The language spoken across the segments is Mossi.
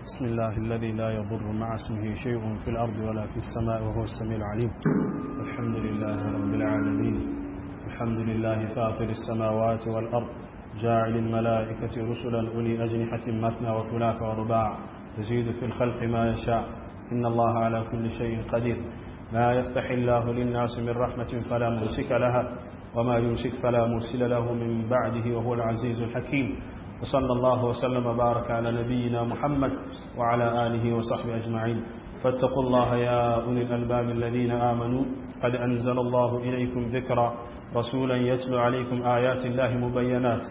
بسم الله الذي لا يضر مع اسمه شيء في الأرض ولا في السماء وهو السميع العليم. الحمد لله رب العالمين. الحمد لله فاطر السماوات والأرض، جاعل الملائكة رسلا أولي أجنحة مثنى وثلاث ورباع، يزيد في الخلق ما يشاء، إن الله على كل شيء قدير. ما يفتح الله للناس من رحمة فلا ممسك لها، وما يمسك فلا مرسل له من بعده، وهو العزيز الحكيم. وصلى الله وسلم وبارك على نبينا محمد وعلى آله وصحبه أجمعين. فاتقوا الله يا أولي الألباب الذين آمنوا، قد أنزل الله إليكم ذكرا، رسولا يتلو عليكم آيات الله مبينات،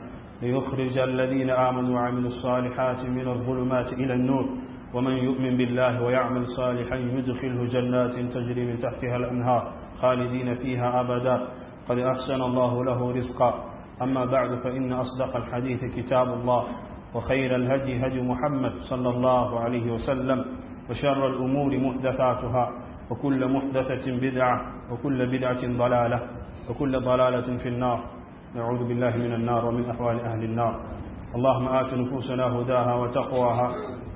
ليخرج الذين آمنوا وعملوا الصالحات من الظلمات إلى النور، ومن يؤمن بالله ويعمل صالحا يدخله جنات تجري من تحتها الأنهار خالدين فيها أبدا، قد أحسن الله له رزقا. أما بعد، فإن أصدق الحديث كتاب الله، وخير الهدي هدي محمد صلى الله عليه وسلم، وشر الأمور محدثاتها، وكل محدثة بدعة، وكل بدعة ضلالة، وكل ضلالة في النار. نعوذ بالله من النار ومن أحوال أهل النار. اللهم آت نفوسنا هداها وتقواها،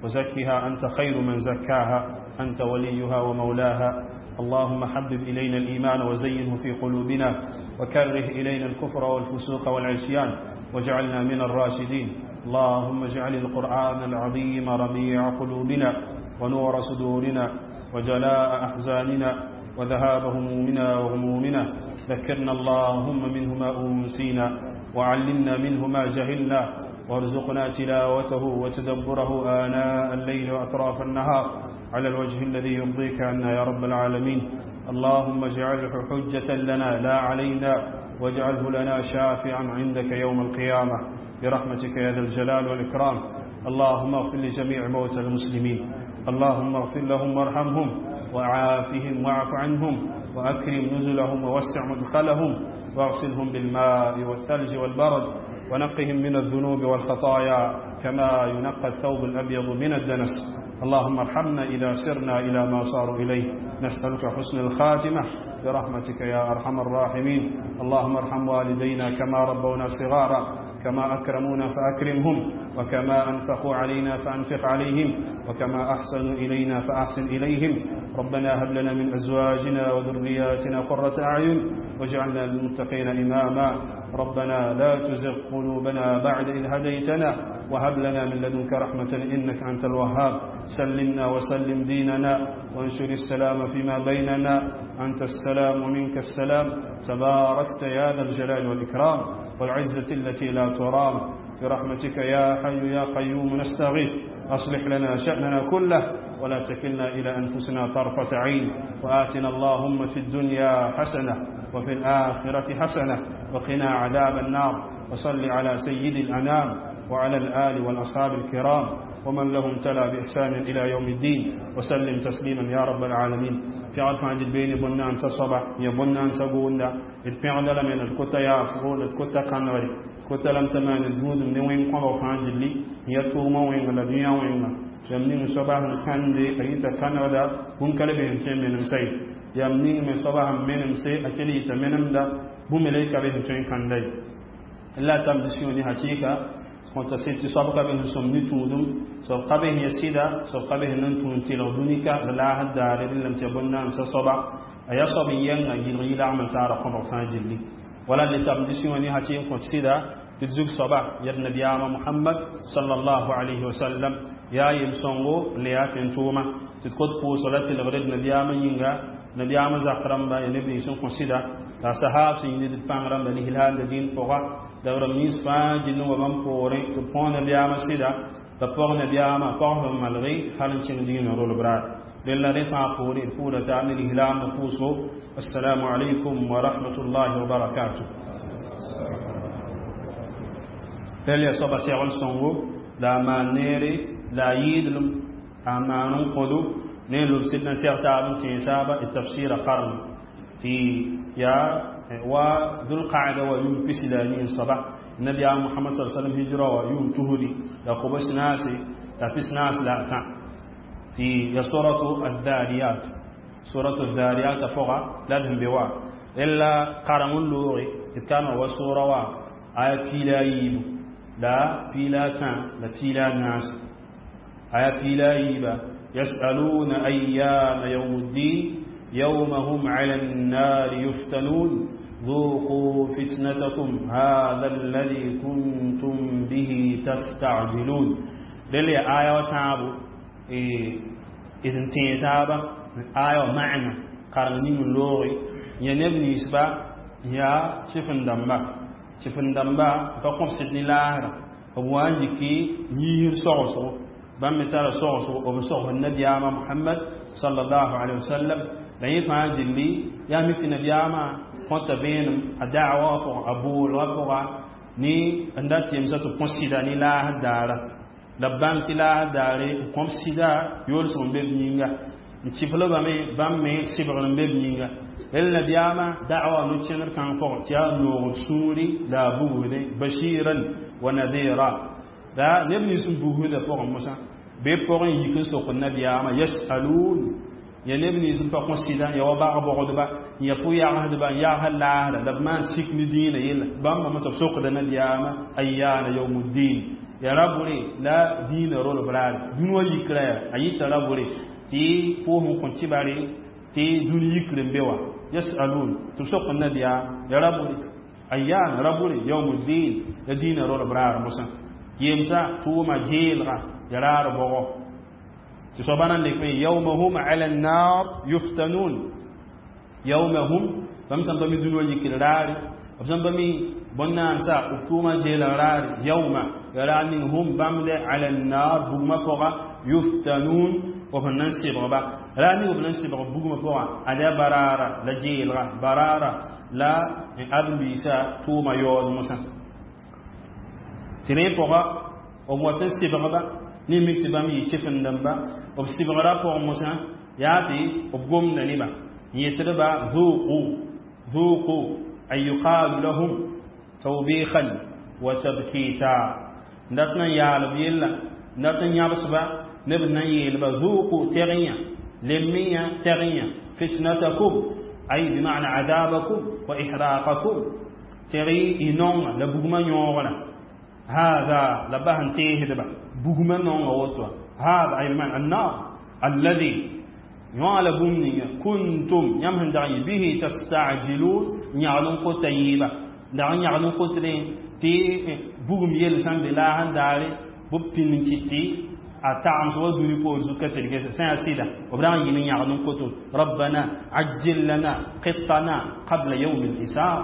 وزكها أنت خير من زكاها، أنت وليها ومولاها. اللهم حبب إلينا الإيمان وزينه في قلوبنا، وكره إلينا الكفر والفسوق والعصيان، واجعلنا من الراشدين. اللهم اجعل القرآن العظيم ربيع قلوبنا، ونور صدورنا، وجلاء أحزاننا، وذهاب همومنا وغمومنا. ذكرنا اللهم منه ما أنسينا، وعلمنا منه ما جهلنا، وارزقنا تلاوته وتدبره آناء الليل وأطراف النهار، على الوجه الذي يرضيك عنا يا رب العالمين. اللهم اجعله حجة لنا لا علينا، واجعله لنا شافعا عندك يوم القيامة، برحمتك يا ذا الجلال والإكرام. اللهم اغفر لجميع موتى المسلمين، اللهم اغفر لهم وارحمهم، وعافهم واعف عنهم، وأكرم نزلهم ووسع مدخلهم، واغسلهم بالماء والثلج والبرد، ونقهم من الذنوب والخطايا كما ينقى الثوب الأبيض من الدنس. اللهم ارحمنا إذا سرنا إلى ما صاروا إليه، نسألك حسن الخاتمة برحمتك يا أرحم الراحمين. اللهم ارحم والدينا كما ربونا صغارا، كما أكرمونا فأكرمهم، وكما أنفقوا علينا فأنفق عليهم، وكما أحسنوا إلينا فأحسن إليهم. ربنا هب لنا من أزواجنا وذرياتنا قرة أعين، واجعلنا للمتقين إماما. ربنا لا تزغ قلوبنا بعد إذ هديتنا، وهب لنا من لدنك رحمة إنك أنت الوهاب. سلمنا وسلم ديننا، وانشر السلام فيما بيننا، أنت السلام ومنك السلام، تباركت يا ذا الجلال والإكرام والعزة التي لا ترام. برحمتك يا حي يا قيوم نستغيث، أصلح لنا شأننا كله، ولا تكلنا إلى أنفسنا طرفة عين، وآتنا اللهم في الدنيا حسنة وفي الآخرة حسنة، وقنا عذاب النار. وصل على سيد الأنام وعلى الآل والأصحاب الكرام ومن لهم تلا بإحسان إلى يوم الدين، وسلم تسليما يا رب العالمين. في عرف عند البين بنان تصبع يا بنان تقولنا الفعل لم الكتا يا فقول الكتا كانوري كتا لم تمان الجود من وين قام فعند لي يتوما وين لا دنيا وين يمنين صباح كان دي أيتا كانودا هم كلبهم كم من مسي يمنين من صباح من مسي أكلي تمنم دا هم إليك بهم كم كان دي لا تمدسيوني حقيقة كنت سيتي سابقا به سمني تودم سابقا به يسيدا سابقا به ننتون تلغدونيكا لا حد على لم تبنا أنسى صبا أيا صبيا يلغي لا عمل تعرف قبر فاجلي ولا لتمدسيوني حقيقة كنت سيدا تزوج صبا يا النبي محمد صلى الله عليه وسلم يا يلسونغو لياتن توما تتكوت بو صلاة الغريد نبي ينغا نبي زخرم با ينبي سن كنت سيدا لا صحاب سيدي بانغرام بني هلال دين فوقا دور ميس فاجل ومن بوري تبون نبي سيدا تبون نبي ما قوم مالغي حالن تشين رول براد لله رفع بوري بورة تعمل هلال نفوسه. السلام عليكم ورحمة الله وبركاته. تلي صبا سيغل سونغو لا ما نيري لا يدلم أمانون قدو نيلو سيدنا سيغ تابن تيتابا التفسير قرن في يا وذو القعدة ويوم بسلانين صباح النبي محمد صلى الله عليه وسلم هجرة ويوم تهدي لا قبس ناسي لا بس ناس لا تع في سورة الذاريات سورة الذاريات فوق لا دهم بوا إلا قرن اللوري كان وسورة وا آية بلا يب لا بلا تع لا بلا ناس. Aya pila yiiba: يسألون أيان يوم الدين يوم هم على النار يفتنون ذوقوا فتنتكم هذا الذي كنتم به تستعجلون. دل آية وتعبو إذن تيتابا آية معنى قرنين اللغي ينبني سبا يا شفن دمبا شفن دمبا فقم سيدني لاهرة وان يكي يهر صغصو bãmb me tara sogsgo b sog nabiyaamã Mohamad sallallahu alaihi wasallam. La yẽ fãa gilli yaa mik tɩ nabiyaamã kõta vẽenem a da'wa wã pʋgã, a boolgã pʋga ne n dat yemsã tɩ b kõ sɩda ne laasd daara la b bãng tɩ laasd daare n kõm sɩda yoolsg n be b yĩnga n kɩflbame bãmb me sɩbgr n be b yĩnga. Rel nabiyaamã da'wa no-kẽndr kãng pʋgẽ tɩ yaa noogd sũuri la a bugsdẽ bashiran wa nadira la neb nins n bugsdã pʋgẽ mosã be pʋgẽ yik n sok nabiyaamã yasalun ya neb nins n pa kõ sɩda ya wa bag-bogdba ya pʋ-yagsdba n yagsd laasra la b maan sik ne dĩinã yella bãmba mosã b sokda nabiyaamã ayyana yawmuddin ya rabore la dĩinã rolb raare dũni wã yikra ya a yita rabore tɩ foos n kõ tɩbare tɩ dũni yikr n be wa yasalun tɩ b sok nabiyaam ya rabore ayyana rabore yawmuddin la dĩinã rolb raar mosã yemsa tʋʋma geelga ya raar bɔgɔ tɩ soaba nan lek me yawma hum ala annar yuftanun yawma hum bãmb sẽn pa mi dũni wã yikr raare b sẽn pa mi bõn-naansa b tʋʋma geelg raare yawma ya raar ning hum bãmb ala annar bugmã pʋga yuftanun b sẽn na n sɩbgba raar ning b na n sɩbg bugmã pʋga ad yaa baraara la geelga baraara la ãdem-biisã tʋʋma yaood mosã tɩ rẽ pʋga b wat n sɩbgba ne mik tɩ bãmb yɩ kɩfendẽmba b sɩbgrã pʋgẽ mosã yaa tɩ b gomda nebã n yetdba ذوقوا ذوقوا أي يقال لهم توبيخا وتبكيتا dat na yaal b yella dat n yãbsba neb na n yeelba ذوقوا tɛg-yã lemmeyã tɛg-yã fitnatakum ay bima'na adabakum wa ihraqakum tɛg y nonga la bugmã yõogrã هذا لبهن تيهدبا بugmã nonga woto هذا أي بمعنى النار الذي يعلى بمني كنتم يمهن دعي به تستعجلون يعلم قتيبا دعي يعلم قترين تي بugum yel sãn be la sẽn daare b pĩnd n kɩt tɩ a tagem wa dũni poor zug ka tɩrge sã yaa sɩda b ra n yɩl n yãgd n koto rabbana ajjil lana qittana qabla yawm al-hisab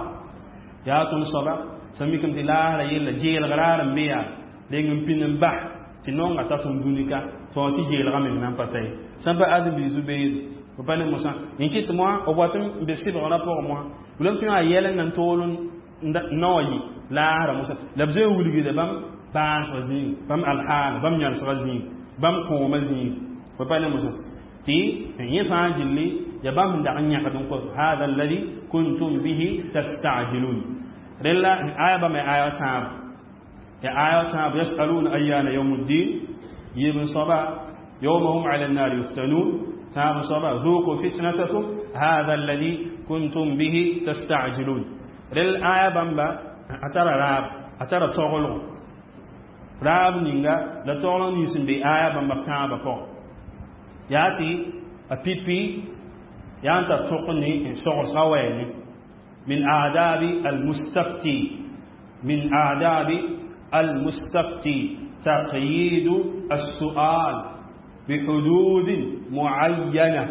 yaa tõnd soaba sẽn mikame tɩ laasra yella geelg raar n be yaa reng n pĩnd n bas tɩ nonga ta tõnd dũni ka tɩ tɩ geelgã meng na n pa ta ye sãn pa ãdem-biis beede b pa ne mosã n kɩt moã b wat n be sɩbgrã pʋgẽ moã b tɩ a yɛl n na n tool n na wa yɩ laasra mosã la b zoe n wilgda bãmb bãasgã zĩig bãmb alhaal bãmb yãlsgã zĩig bãmb kõomã zĩig b pa ne mosã tɩ yẽ fãa gilli ya bãmb sẽn dag n yãkd n kos hada alladhi kuntum bihi tastajilun rella aya bãmba aya tãab ya aya tãab yasaluna ayyana yawmuddin yib n soaba yawma hum ala النار يفتنون tãab soaba ذوقوا فتنتكم هذا الذي كنتم به تستعجلون. Rel aya bãmba a tara raab a tara toglgo raab ninga la togl nins n be aya bãmba tãabã pʋgẽ yaa tɩ a pipi yaa n tar tõk ne sogsga wɛɛne من آداب المستفتي من آداب المستفتي تقييد السؤال بحدود معينة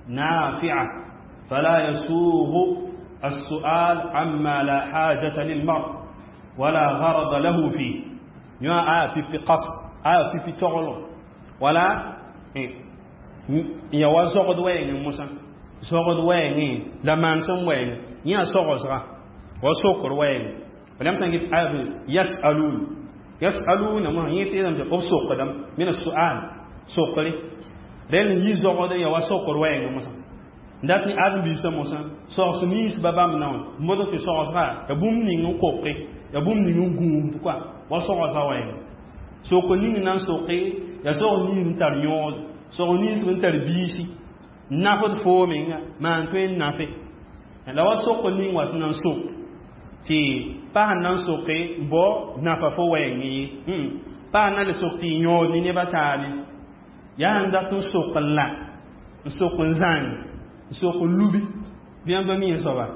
نافعة، فلا يسوغ السؤال عما لا حاجة للمرء ولا غرض له فيه. يا آية في قصد آية في تغلو ولا يا وزغد وين موسى زغد وين لا مانسم وين يا سوغسرا وسوكر وين ولم سنجد آية يسألون يسألون ما يتي لم تقف من السؤال سوكري رel yi zogode ya wasokor wɛɛngã mosã dat ne ãdem-biisã mosã sogs nins ba bãmb na wã modg tɩ sogsga ya bũmb ning n koke ya bũmb ning n gũusd koa wa sogsga wɛɛngã sok ning na n soke ya sog nins n tar yõod sog nins n tar biisi nafd foo menga maan tõe n nafe la wa sok ning wat na n sok tɩ pa sẽn na n soke bao nafa fo wɛɛng ye pa na le sok tɩ yõod ne neba taabe. Yaa n dat n sok n la, n sok n zãng, n sok n lubi. Bɩ yãmb pa mi yẽ soaba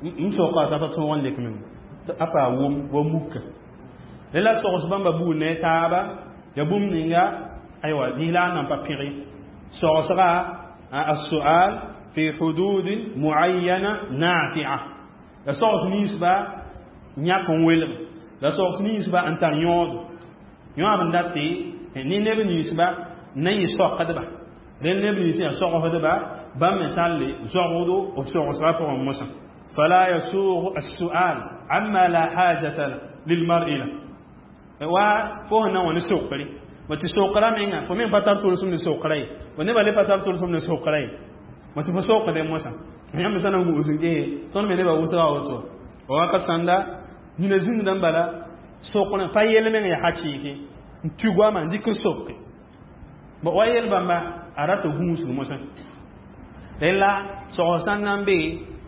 m soka t'a pa tõog n lek meng a pa wʋm wa muka. La sogs bãmba buud ne taaba ya bũmb ninga aywa lislaam nan pa pẽge sogsga السؤال في حدود معينة نافعة. La sogs ninsba yãk n welg, la sogs ninsba n tar yõodo yõab n dat tɩ ne neb ninsba n na yɩ sokdba rẽnd neb nins yaa sogsdba bãmb me talle zogdo b sogsga pʋgẽ mosã. فلا يسوغ السؤال عما لا حاجة للمرء له. Wa fo sẽn na n wa ne sokre ma tɩ sokra menga fo meng pa tar tʋlsem ne sokra ye, wa nebã le pa tar tʋlsem ne sokra ye, ma tɩ fo sokdẽ mosã yãmb sã na n gũus n gese tõnd me nebã wʋsga woto wa wakat sãnda nina zĩngdã n bala sokr pa yel meng yaa hakɩɩke n tɩ goamã n dɩk n soke wa yel bãmba a rata gũusg mosã. Rẽla sogs sãn na n be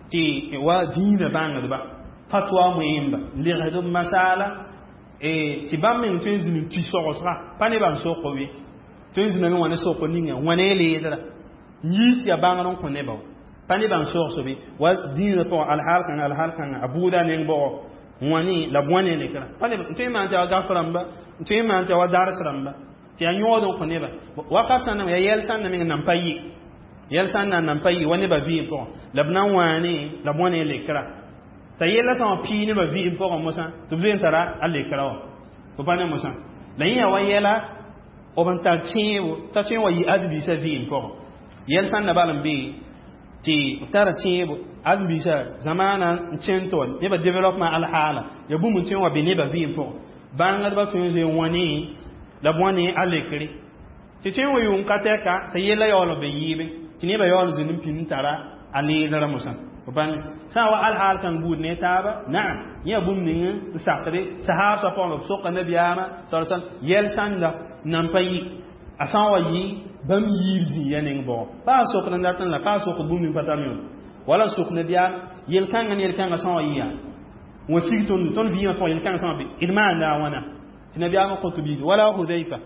tɩ wa dĩinã bãngdba fatwa moẽmba n legsd b masaala tɩ bãmb meng tõe n zĩnd n tʋ sogsga pa nebã n sok we tõe n zĩndame wã ne sok ninga wãne leedra n yiis tɩ yaa bãngr n kõ nebã pa nebã n sogsb wa dĩinã pʋgã alhaal kãnga alhaal kãnga a buuda neng bʋgɔ wãne la b wãne lekra pa neb n tõe n maan tɩ ya gaf rãmba n tõe n maan tɩ ya wa dars rãmba tɩ yaa yõod n kõ nebã wakat sãn yaa yɛl sãn na meng nan pa yɩ yɛl sãn na nan pa yɩ wa nebã vɩɩm pʋgẽ la b na n wãane la b wãne lekra t'a yella sã wã pii nebã vɩɩm pʋgẽ mosã tɩ b zoe n tara a lekra wã fo pa ne mosã la yẽ yaa wa yɛla b n tar tẽebo t'a tõe n wa yɩ ãdem-biisã vɩɩm pʋgẽ yɛl sãn na bal n bee tɩ b tara tẽebo ãdem-biisã zamaana n kẽnd tɩ wa nebã développement alhaala ya bũmb n tõe n wa be nebã vɩɩm pʋgẽ bãngdbã tõe n zoe n wãne la b wãne a lekre tɩ tõe n wa yʋʋm ka tɛka t'a yella yaool b be yɩɩbe tɩ nebã yaool zĩnd n pĩnd n tara a leedrã mosã bãng sã n wa alhaal kãng buud ne taaba naam yẽ yaa bũmb ning n sakde sahaabsã pʋgẽ b soka nabiyaamã sa sallam yɛl sãnda nan pa yɩ a sã n wa yɩ bãmb yiib zĩiga neng bʋgɔ pa a sokd n dat n la pa a sokd bũmb ning pa tar yõod wala n sok nabiyaam yel-kãngã ne yel-kãngã sã n wa yɩ yaa wã sig tõnd tõnd vɩɩmã pʋgẽ yel-kãngã sã n wa be d maanda a wãna tɩ nabiyaamã kõ tɩ biis wala Hudayfa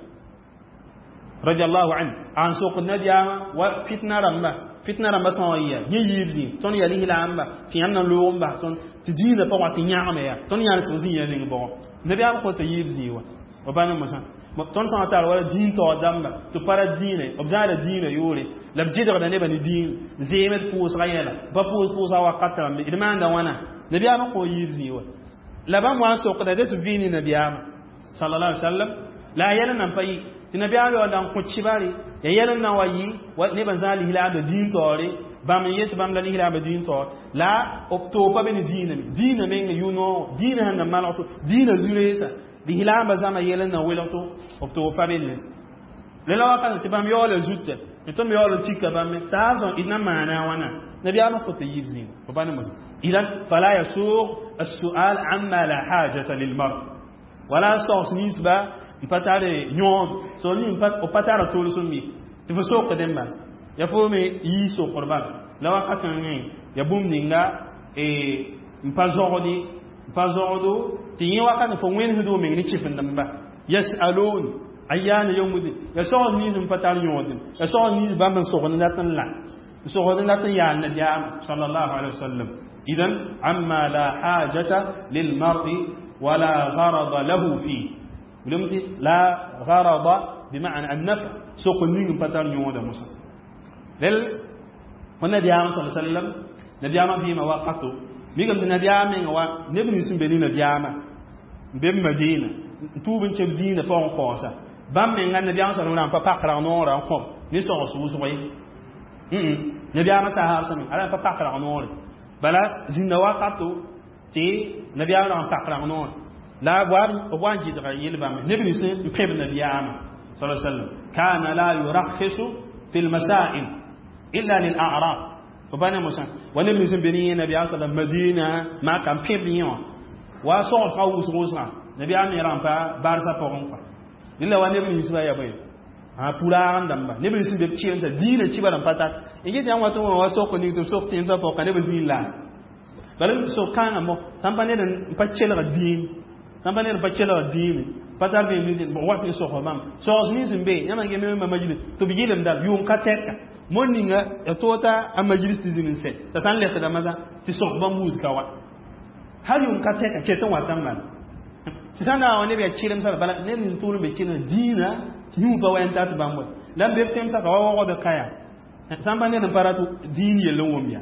radiallahu anhu an sok nabiyaamã wa fitna rãmba fitna rãmba sã n wa yɩ yẽ yiib zĩ tõnd yaa lislaamba tɩ yãmb na n loog n bas tõnd tɩ dĩinã pʋgã tɩ yãgme yaa tõnd yãan tɩ zĩ ya ning bʋgɔ nabiyaam kõ tɩ yiib zĩ wa wa pa ne mosã tõnd sã n tar wala dĩin taoor dãmba tɩ pa ra dĩinã b zãada dĩinã yʋʋre la b gɩdgda nebã ne dĩin zeemd pʋʋsga yɛla pa pʋʋs pʋʋsga wakat rãmbe d maanda wãna nabiyaamã kõ yiib zĩ wa la bãmb wa n sokda dẽ tɩ b vɩ ne nabiyaamã sallallahu alaihi wasallam la a yɛl nan pa yɩ tɩ nabiyaam yaool n kõ kibare ya yɛl n na wa yɩ nebã zã lislaambã dĩin taoore bãmb n yet tɩ bãmb la lislaambã dĩin taoor la b toog pa be ne dĩinã me dĩinã meng yʋ-noog dĩinã sẽn na malg to dĩinã zu-reesa lislaambã zãma yɛl n na welg to b toog pa be ne lela wakat tɩ bãmb yaoola zutã tɩ tõnd yaool n tika bãmb me saasã d na maana a wãna nabiyaamã kõ tɩ yiib zĩiga fo pa ne mosã. إذن فلا يسوغ السؤال عما لا حاجة للمرء ولا sogs ninsba n pa tar yõod so ning b pa tara tʋlsem ye tɩ fo sokdẽ bala ya fo me yii sokr bala la wakat n ya bũmb ninga n pa zogdi n pa zogdo tɩ yẽ wakat fo wẽnesd meng ne kɩfendẽmba yasalun ayyana yawmuddin ya sogs nins n pa tar yõodẽ ya sogs nins bãmb n sogd n dat n la n sogd n dat n yaal nabiyaamã sallallahu alaihi wasallam. إذن عما لا حاجة للمرء ولا غرض له فيه ولمتي لا غرض بمعنى النفع سوق نين بتر يوم موسى لل والنبي صلى الله عليه وسلم نبي ما في مواقعته ميغم النبي من وا نبني سن بني نبي بن مدينة توبن تشب دين فون قوسا بام من النبي صلى الله عليه وسلم pa noora n kõb ne sogs wʋsg ye nabiyaamã sahaab sã ala pa pak rag noore bala zĩnda wakato tɩ nabiyaamã rag n pak rag noore la b wa n gɩdga yel bãmb neb nins n pẽb nabiyaamã sal sallam kana la yurakhisu fi lmasail illa lil'arab fo pa ne mosã wa neb nins n be ne yẽ nabiyaam sala Madina maka n pẽb yẽ wã wa sogsga wʋsg wʋsgã nabiyaam me rag n pa barsã pʋgẽ kɔa rẽla wa neb ninsbã ya bõe a puraag n dãmba neb nins n be b kɩɩmsa dĩinã kibarã n pa tar n get yãmb wa tɩ wã wa sok ning tɩ b sok tẽemsã pʋgã neb zĩig la bala sok kãngã mo sãn pa ned n pa kelg dĩin sãn pa ned n pa kelg dĩine Pa tar vẽem nins wat n sosg bãmb sogs nins n be yãmb n geme ma majlis tɩ b yɩlemda yʋʋm ka tɛka mo ninga ya tota a majlis tɩ zĩnd n sɛ t'a sã n lɛkda masã tɩ sõs bãmb buud ka wa hal yʋʋm ka tɛka ket n wat n bala tɩ sã n na wa neb yaa kɩremsã bala ned nin tʋʋl n be kɩrem dĩinã yũ pa wa n tat bãmb wa la n be b tẽmsã ka wa waoogd kaya sã n pa ned n pa rat dĩin yell n wʋm ya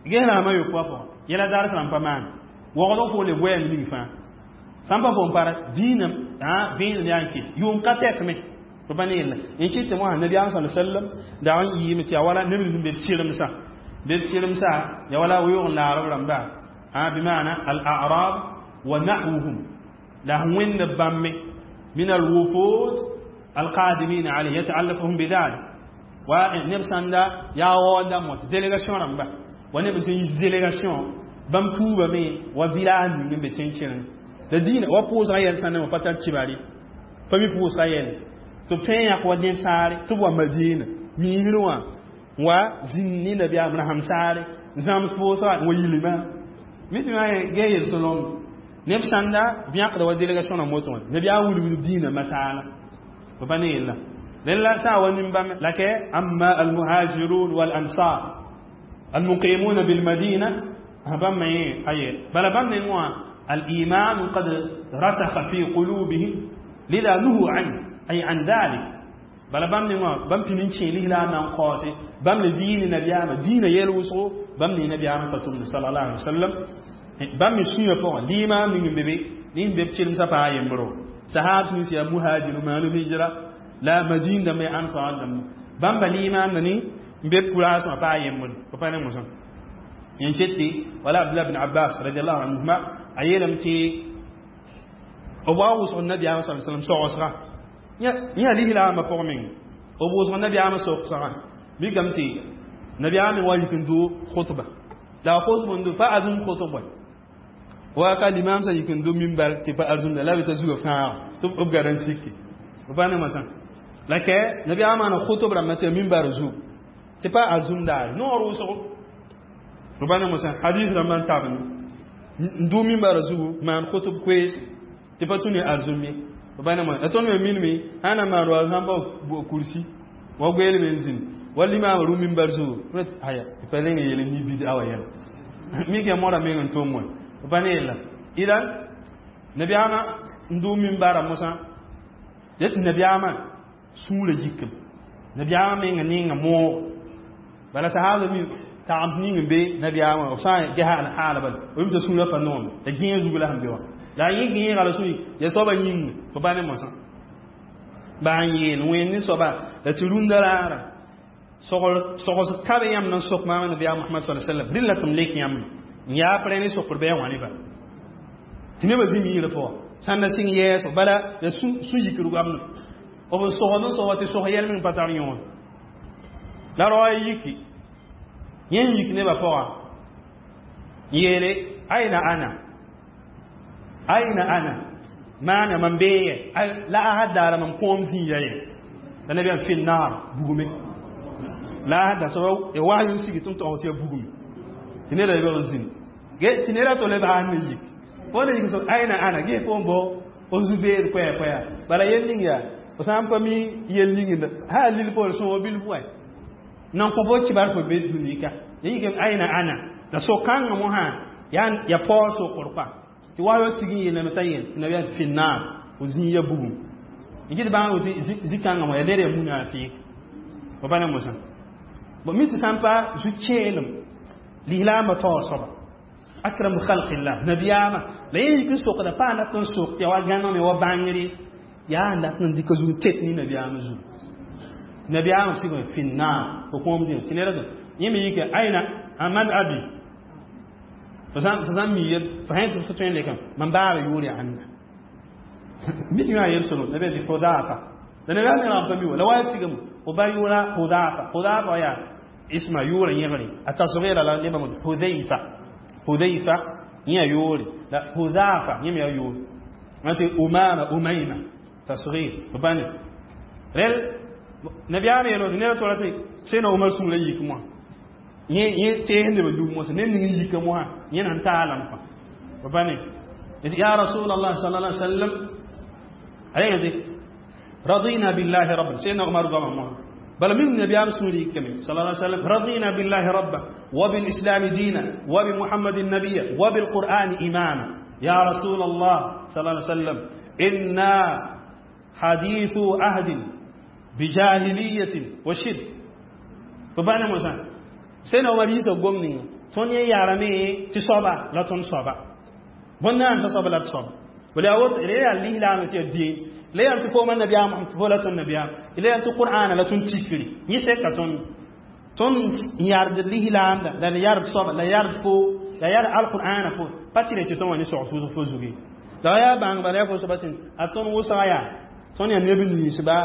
ges rãambã yopoa pʋgã yɛla daar rãmb pa maan waoogd n foole goɛɛm ning fãa sã n pa fo n para dĩinã vẽenem yaa n ket yʋʋm ka tɛkme b pa ne yella n kɩt tɩ mosã nabiyaam sa sallam dag n yɩɩme tɩ yaa wala neb nins n be b kɩremsã be b kɩremsã ya wala weoog n laar b rãmba بمعنى الأعراب ونحوهم لا وين بام من الوفود القادمين عليه يتعلقهم بذلك ونبسان دا يا ودا موت délégation رمبا ونبتن يس délégation bam tuuba me wa village ning be tẽn la dĩinã wa pʋʋsga yɛl sã ne wã pa tar kibare pa mi pʋʋsga yɛl tɩ b tõe n yãk wa neb saare tɩ b wa Madina miisr wã wa zĩnd ne nabiyaam rasem saare n zãms pʋʋsga n wa yilima mi tɩ gee yel-solem neb sãnda b yãkda wa délégation rãmb woto wã nabiyaam wilgd dĩinã masaala b pa ne yella rẽn sã n wa nin-bãmb la kɛ amma almuhajirun walansar almuqimuna bilmadina bãmb me aye bala bãmb neng wã الإيمان قد رسخ في قلوبهم لذا نهوا عنه أي عن ذلك بل بام نيوا بام بينين تشي لا نان قاسي بام لدين نبيام دين يلوسو بام ني نبيام فتوم صلى الله عليه وسلم بام سيو بو ليما نين بيبي نين بيب تشيلم سا با يمبرو صحاب سن سي مهاجر ما نو هجرة لا مدينة مي انصار دم بام بليما نني بيب كولاس ما با يمبر با ني موسى ينشتي ولا عبد الله بن عباس رضي الله عنهما a yeelame tɩ b wa wʋsg nabiyaamã sa sallam sogsga yã lislaambã pʋg meng b wʋsg nabiyaamã sogsgã mikame tɩ nabiyaamã wa yik n do khutba la a khutb n do pa arzũm khutb wa ka limam sã yik n do mimbar tɩ pa arzũmda la b t'a zuga fãaga tɩ b gara n sike b pa ne masã la kɛ nabiyaamã maana khutb rãmbã tɩ ya mimbar zug tɩ pa arzũm daare noor wʋsgo b pa ne masã hadis rãmbã n tabne n dʋ mimbarã zugu maan khutb koees tɩ pa tũ ne arzũm ye b pa ne ma la tõnd me minme sã na maan wa sãn pa kursi wa goeelme n zĩnd wa limaamã rʋ mimbar zugu aya tɩ pa reng yeel ni bid'a wa yɛla mik ya moora meng n tʋm wã b pa ne yella idan nabiyaamã n dʋ mimbarã mosã tɩ nabiyaamã sũurã yikem nabiyaamã menga ninga moog bala sahaba mi taam ning n be nabiyaamã b sã n gesa haala bala b t'a sũurã pa noome la gẽeg zug la sẽn be wã la yẽ gẽega la sũ ya soabã yĩnga fo pa ne mosã baa n yeel wẽnd ne soaba la tɩ rũndã raara sogs ka be yãmb na n sok maam nabiyaam Mohamad sa sallam rẽ la tɩ m lek yãmb n yaa pre ne sokr bɩ a wã nebã tɩ nebã zĩ miirã pʋgã sãn na sɩng yɛɛso bala la sũ-yikr goamd b n sogd n sog tɩ sog yɛl meng pa tar yõod la rao a yiki yẽ n yik nebã pʋga n yeele aina ana aina ana maana mam bee la a had daara mam kõom zĩiga ye la nabiyaam fi naar bugume la a had soaba ya was n sigi tɩ n tog tɩ ya bugume tɩ neda lebg n zĩnd tɩ neda to leb n ne yik fo ne yik so aina ana ge fo n bao o zu-beed koɛɛ koɛa bala yel ning yaa fo sã n pa mi yel ning ha lil poor sõog bil bʋɛ nan kõ bo kibar fo be dũni ka ya yik aina ana la so-kãngã mosã ya paoog sokr kɔa tɩ wa yo sig n yeelame t'a yel nabiyaam tɩ fi naar fo zĩig ya bugum n kɩt bãng tɩ zĩ-kãngã mo ya ned ya munafɩɩk fo pa ne mosã bon mi tɩ sã n pa zu-kẽelem lislaambã taoor soaba akramu khalqillah nabiyaamã la yẽ yik n sokda pa dat n sok tɩ ya wa gãneme wa bãngre yaa n dat n dɩka zug n tet ne nabiyaamã zugu tɩ nabiyaamã sigme fi naar fo kõom zĩ tɩ ned yẽ me yike aina man abi fo sã n mi yel fo sã tɩ fo tõe n lekame mam baaba yʋʋr yaa ãnda mi tɩ yã yel solo nabiyaam tɩ Hudafa la nabiyaam me rãmb pa mi wa la wa sigame fo ba yʋʋra Hudafa Hudafa yaa isma yʋʋra yẽgre a tasgira la nebã Hudayfa Hudayfa yẽ yʋʋre la Hudafa yẽ me yaa yʋʋre tɩ Umama Umayma tasgir fo pa ne rel nabiyaam yeelo tɩ ned tola tɩ sẽna Umar sũurã yik moã yẽ teesdbã dug mosã ned ning n yika mosã yẽ nan taalam kõ fo pa ne ya rasulallah sallallahu alaihi wasallam Ayẽde radina billahi rabban, سيدنا عمر goamã mosã. بل من النبي رسولي كمل صلى الله عليه وسلم: رضينا بالله ربا، وبالإسلام دينا، وبمحمد النبي، وبالقرآن إماما. يا رسول الله صلى الله عليه وسلم، إنا حديث عهد بجاهلية وشرك. فبانا موسى سيدنا عمر يسا قمني توني يا رمي تصابا لا تنصابا بنا تصابا لا تصابا ولا أوت إليه اللي لا نتي الدين la yãmb tɩ fo ma nabiyaam tɩ fo la tõnd nabiyaam, la yãmb tɩ qur'ana la tõnd tikri yẽ sɛka tõnd yard lislaamda la yard soaba la yard fo la yard alqur'ana fo pa tɩ tɩ tõnd wa ne sogs fo zuge la yaa bãng bala yaa fo soaba tɩ a tõnd wʋsga yaa tõnd yaa neb ninsba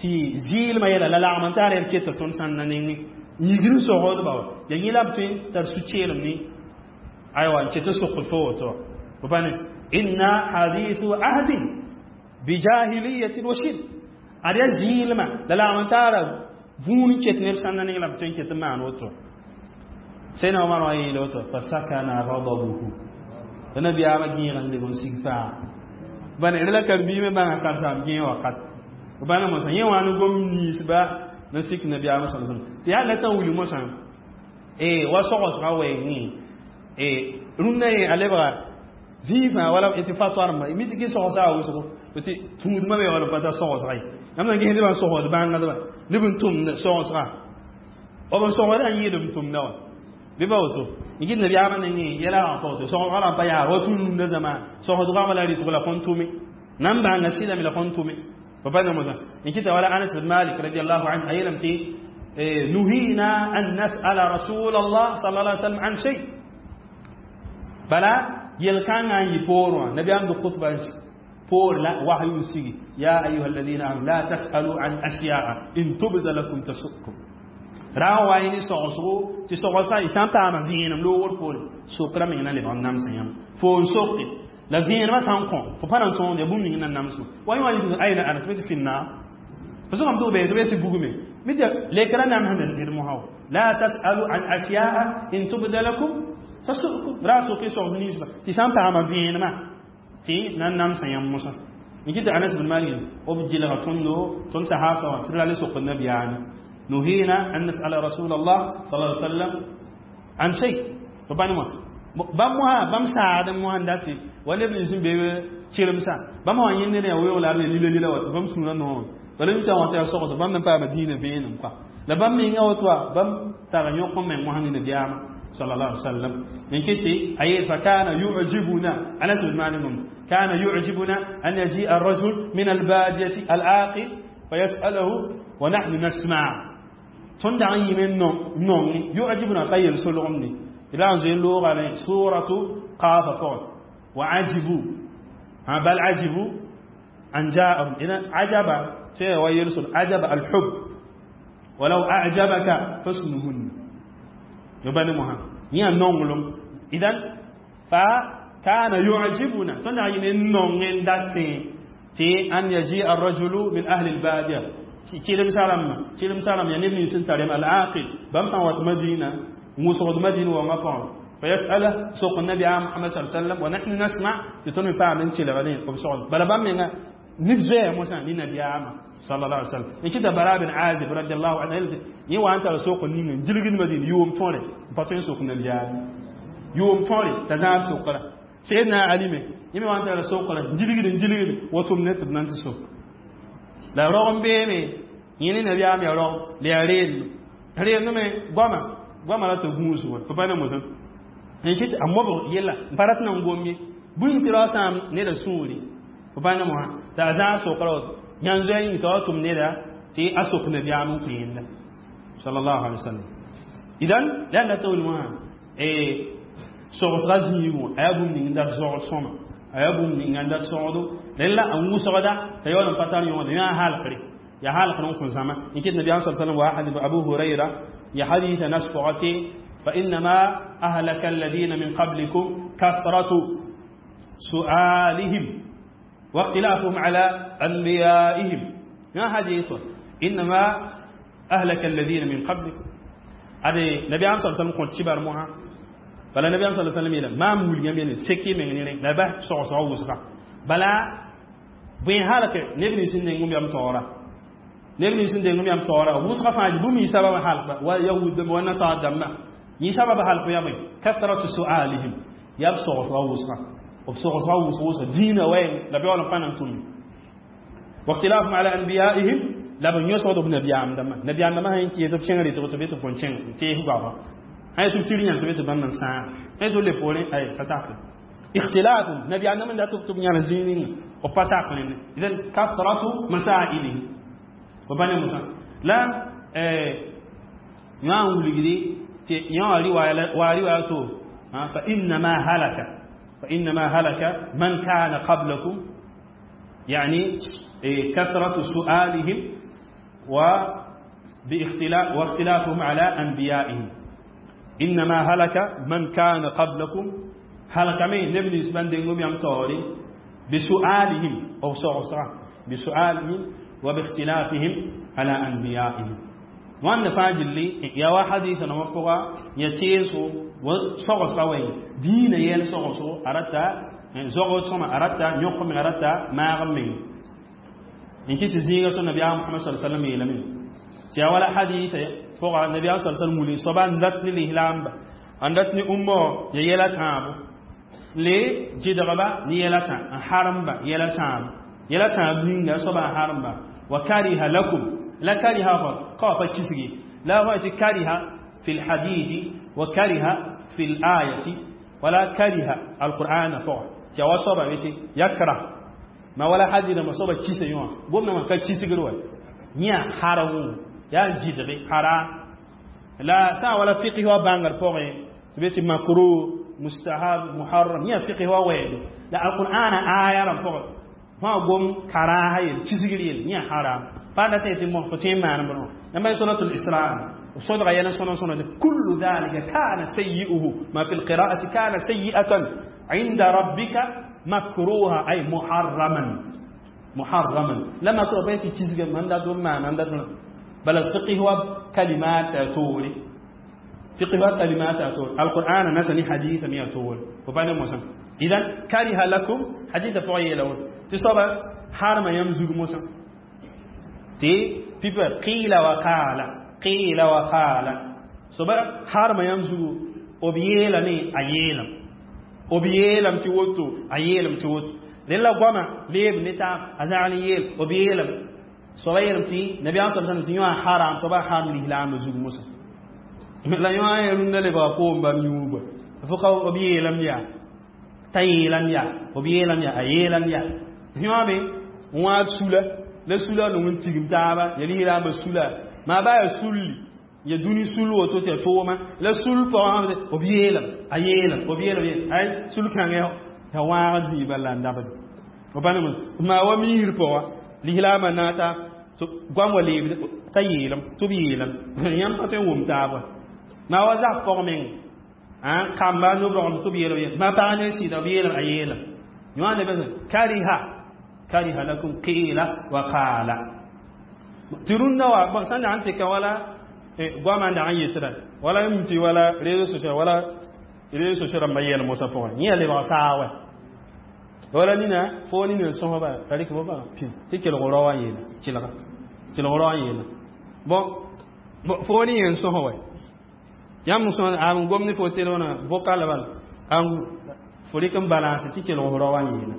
tɩ zɩɩlmã yɛla la lagm n taar yɛl keta tõnd sãnda nengẽ yigr n sogdba wa ya yẽ la b tõe tar su-keelem ne aywa n ket n sokd fo woto fo pa ne inna hadithu ahdin bijahiliyatin wa shirk ad yaa zɩɩlmã la lagm n taara vũun ket neb sãnda neng la b tõe n ket n maan woto. Sẽna Omar wã yeela woto fa sakana ghadabuhu tɩ nabiyaamã gẽeg n leb n sig faa bãn d la karen-biimẽ bãnga karsaam gẽeg wakat bãna mosã yẽ wã ne gom ninsba n sik nabiyaamã sa sallam tɩ yaa la tã wilg mosã wa sogsgã wɛɛngẽ rũnnã yẽ a lebga zĩig fãa wala tɩ fatwa rãmba mi tɩ kɩ sogsga a wʋsgo tɩ tũudmã me wala pa ta sogsga ye yãmb na ges nebã sogd bãngdba neb n tʋmd sogsga b n sogdã n yɩɩd b tʋmda wã bɩ pa woto n kɩt nabiyaamã nengẽ yɛla wã pa woto sogsga rãmb pa yaa wa tũnunda zãma sogsd goamã la rɩtg la kõn tʋme nan bãnga sɩdame la kõn tʋme pa pa namosã n kɩta wala Anas bin Malik radiallahu anhu a yeelame tɩ nuhina an nasala rasul Allah sallallahu alaihi wasallam an shay bala yel-kãngã n yɩ poor wã nabiyaam d khutba poor la wahyu sigi: ya ayuha alladhina amanu la tasalu an ashya'a in tubda lakum tasukum ra wa yẽ sogsgo tɩ sogsã y sã n paama vẽenem loogr poore sokra meng na lebg n namsã yãmb fo n soke la vẽenemã sã n kõ fo pa na n tõod ya bũmb ning na namsgo wa yẽ wã ayna ana tɩ be tɩ finna fo sʋgame tɩ b bee tɩ be tɩ bugme mi tɩ lekra namsd ned mosã la tasalu an ashya'a in tubda lakum tasukum ra soke sogs ninsba tɩ sã n paama vẽenemã tɩ na n namsã yãmb mosã n kɩtɩ Anas bin Malik b gilga tõndo tõnd sahaba wã tɩ d ra le sok nabiyaame نهينا أن نسأل رسول الله صلى الله عليه وسلم عن شيء. فباني ما بام موها بام ساعد موها ndati wala ibn sin be chirimsa bam wa yinde ne wo la lila lila wat bam suna no wala mi ta wata so so bam nan pa Madina be nan kwa la bam mi nga wotwa bam tara nyoko men mo hanni nabiyama sallallahu alaihi wasallam min kiti ay fa kana yu'jibuna Anas bin Malik kana yu'jibuna an yaji ar-rajul min al-badiyati al-aqil fayas'aluhu wa nahnu nasma'. Tõnd dag n yɩme nong yu'jibuna ka yel solgem ne la n zoe loogame suratu qafa pʋgẽ wa ajibu bal ajibu an ja'ahum ina ajaba sai wa yel sol ajaba al-hub walau a'jabaka husnuhun yobani moha yã nonglem idan fa kana yu'jibuna tõnd dag n yɩme nong n datẽ tɩ an yaji ar-rajulu min ahli al-badiya kilim salam ya neb nins n tarem al-aqil bãmb sã n wat Madina n wʋsgd Madina wãngã pʋgẽ fayasala sok nabi Muhammad sallallahu alaihi wasallam wa nahnu nasma tɩ tõnd me paam n kelgdẽ b sogd bala bãmb menga neb zoɛɛ mosã ne nabiyaamã sallallahu alaihi wasallam n kɩta Bara bin Azib radiallahu anhu yẽ wa n tar sok ning n gilgd Madina yʋʋm tõre n pa tõe n sok nabiyaam yʋʋm tõre t'a zãad sokra Sayyidina Ali me yẽ me wa n tara sokra n gilgd n gilgd wotom ne tɩ b na n tɩ sok la rog n beeme yẽ ne nabiyaam yaa rog la yaa reem reem me goama goama la tɩ gũus wa fo pa ne mosã n kɩt a mobg yella n pa rat na n gom ye bũmb tɩ rao sãam neda sũuri fo pa ne mosã t'a zãag sokra woto yãn zoɛ yĩng t'a wa tʋm neda tɩ a sok nabiyaam n kõ yẽnda sallallahu alaihi wasallam. Idan la la tɩ wil mosã sogsga zĩigẽ a yaa bũmb ning n dat zogd sõma a yaa bũmb ning n dat sogdo rẽn la n wʋsgda t'a yaool n pa tar yõod yã halgre ya halgr n kõ zãma n kɩt nabiyaam sa sallam wa hadith Abu Hurayra ya haditha nas pʋgã fa innama ahlaka alladhina min qablikum kathratu su'alihim wa ikhtilafuhum ala anbiya'ihim ya hadith innama ahlaka alladhina min qablikum ade nabiyaam sa sallam kõ tibar moã bala nabiyaam sa sallam yeela maam wilgã me ne seki meng ne la ba sogsga wʋsga bala Bõe halke neb nins sẽn deng yam taoora, neb nins sẽn deng yam taoora wʋsgã fãa bũmb yɩ sabab halkba wa yahud dãmba wa nasar dãmba yẽ sabab halk ya bõe kathratu sualihim yaa b sogsga wʋsgã b sogsga wʋsg wʋsga diinã wɛɛng la beool n pa nan tʋme واختلافهم على أنبيائهم la b yõsgd b nabiyaam dãmbã nabiyaam dãmbã sã n kɩ tɩ b kẽng rɩtg tɩ be tɩ b kõn kẽng n tees goama sã tɩ b tɩr yãn tɩ be tɩ bãmb n sãag sã tɩ b le poorẽ ay ka sakre اختلاف نبي أنا من لا تكتب يعني زينين وبساق إذن كثرة مسائله وبني موسى لا يوان ولغدي يوان رواية ورواية فإنما هلك فإنما هلك من كان قبلكم يعني كثرة سؤالهم وباختلاف واختلافهم على أنبيائهم إنما هلك من كان قبلكم هلك من نبني سبان دينهم يم توري بسؤالهم أو صغصرة بسؤالهم وباختلافهم على أنبيائهم وأن فاجل لي يا واحد نوفقا يتيسو وصغصرة وين دين يل صغصو أردت زغوت سما أردت يقوم أردت ما غمين إن كنت زيغة النبي محمد صلى الله عليه وسلم يلمين تيا ولا حديث فوق النبي صلى الله عليه وسلم صبان ذاتني الإهلام n dat ne ummo ya yɛla tãabo le jidgba ne yɛla tã n haremba yɛla tãabo yɛla tãab ninga soaba n haremba wa kariha lakum la kariha fa ka wa pa kisgi la fa tɩ kariha fi lhadithi wa kariha fi layati wala kariha alqur'ana pʋga tɩ ya wa soaba be tɩ yakra ma wala hadɩdãmbã soaba kisa yõ wã gomdãmã ka kisgr wa yẽ harem yaa n jidge haram la sã n wala fiqh wa bãngr pʋgẽ tɩ be tɩ makruh mustahab muharram yẽ fiqh wa wɛɛdo la alqur'ana aya rãmb pʋgẽ fãa gom karaha yel kisgr yel yẽ haram pa dat tɩ mos fo tõe n maan bõno yãmb suratul isra صدغ يلا سنة سنة كل ذلك كان سيئه ما في القراءة كان سيئة عند ربك مكروها أي محرما محرما لما تربيتي كيسك من دا دون ما من دا دون بل الفقه هو كلمات تولي فقه هو كلمات تولي القرآن نسني حديث مية تولي وبعد موسى إذا كره لكم حديث فوي لون تصاب حرم يمزج موسى تي بيبر قيل وقال قيل وقال صبر حرم يمزج وبيلمي أيلم وبيلم تيوتو أيلم تيوتو للا قوما ليب نتا أزعني يل وبيلم صغير تي نبي صلى الله عليه وسلم تي حرام صبا حرام الإسلام زوج موسى لا يوان يرون لبا قوم بام يوبا فوق وبيلم يا تايلم يا وبيلم يا أيلم يا يوان بي وان سولا لا سولا نون تيجم تابا يلي لا بسولا ما با سولي ya duni sul woto tɩ tooma la sul pʋgã b yeelame a yeelame b yeelame ay sul kãngã ya wãag zĩiba la n dabd b pa maa wa miisr pʋga lislaamã naata goam wa leebd t'a yeelem tɩ b yeelem yãmb pa tõe n wʋm taaba maa wa zak pɔg meng kamba nob-rogl tɩ b yeelem maa pag ne sɩda b yeelem a yeelem yõa ne kariha kariha lakum qila wa qala tɩ rũndã wa sẽn dag n tɩka wala goamã n dag n yetɩra wala m tɩ wala réseau social wala réseau social rãmbã yɛl mosã pʋgẽ yẽ ya lebg saa wɛ wala nina fo nina n sõsba t'a rɩk fo pĩ tɩ kelg rao wã yeela kelga kelg rao wã yeela bon fo ni n sõs wɛ yãmb sõs a n gom ne fo telefõnã vocal bala an fo rɩk n balance tɩ kelg rao wã yeela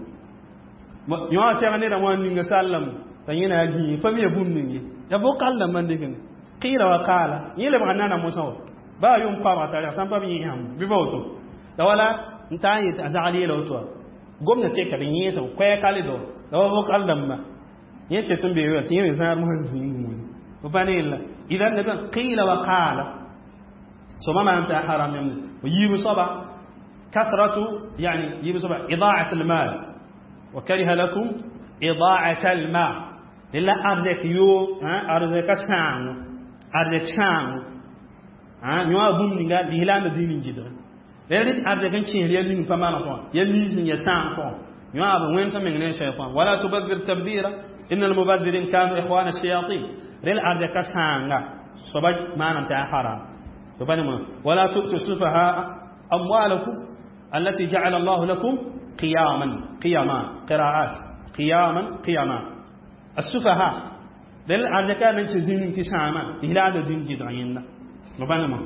yõ sɛg nedã wã ninga sallame t'a yẽ na yaa gĩig pa mi ya bũmb ning ye ya vocal dãmbã n dɩk ne qila wa qala yẽ lebga nana mosã wa baa yʋm koabga tara sãn pa b yẽ yãmb bɩ ba woto la wala n taa n yet a zagl yeela woto wa gomna teka b yẽesem koɛɛka le do la wa vocal dãmba yẽ tet n bee tɩ yẽ me zãad mosã zĩig wʋʋd b pa ne yella idan neb qila wa qala soaba maan tɩ a haram yãmb yiib soaba kasratu yani yiib soaba idaat almal wa kariha lakum idaat almal lella arzɛk yo arzɛka sãango arzɛk sãango yõ a bũmb ninga lislaambã dĩin n gɩdge la rɩt arzɛk n kẽes ya ning pa maan pʋgã ya liis n ya sãang pʋgã yõ a b wẽnsã meng ne shaytan wala tubadhir tabdira inna almubadhirin kanu ikhwana ash-shayatin rel arzɛka sãanga soaba maanam tɩ a haram ولا تؤتوا السفهاء أموالكم التي جعل الله لكم قياما قياما قراءات Qiyaman qiyama as-sufaha. Del arjaka nan ci zinin ti sama ila da din ji da yinna. Mabana.